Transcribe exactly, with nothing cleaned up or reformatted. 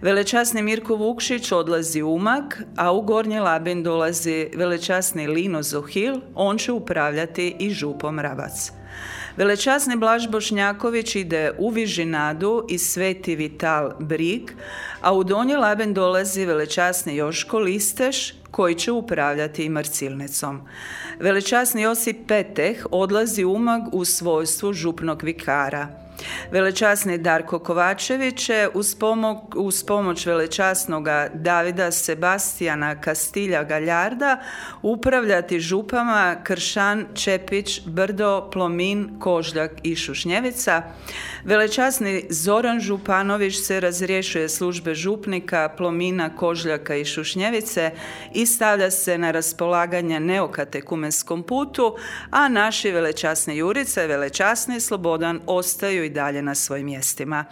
Velečasni Mirko Vukšić odlazi u Umag, a u Gornji Labin dolazi velečasni Lino Zohil, on će upravljati i župom Rabac. Velečasni Blaž Bošnjaković ide u Vižinadu i Sveti Vital Brig, a u Donji Laben dolazi velečasni Joško Listeš, koji će upravljati i Marcilnicom. Velečasni Josip Peteh odlazi u Umag u svojstvu župnog vikara. Velečasni Darko Kovačević će uz, pomog, uz pomoć velečasnoga Davida Sebastijana Kastilja Galjarda upravljati župama Kršan, Čepić, Brdo, Plomin, Kožljak i Šušnjevica. Velečasni Zoran Županović se razriješuje službe župnika Plomina, Kožljaka i Šušnjevice i stavlja se na raspolaganje neokatekumenskom putu, a naši velečasni Jurica i velečasni Slobodan ostaju i dalje na svojim mjestima.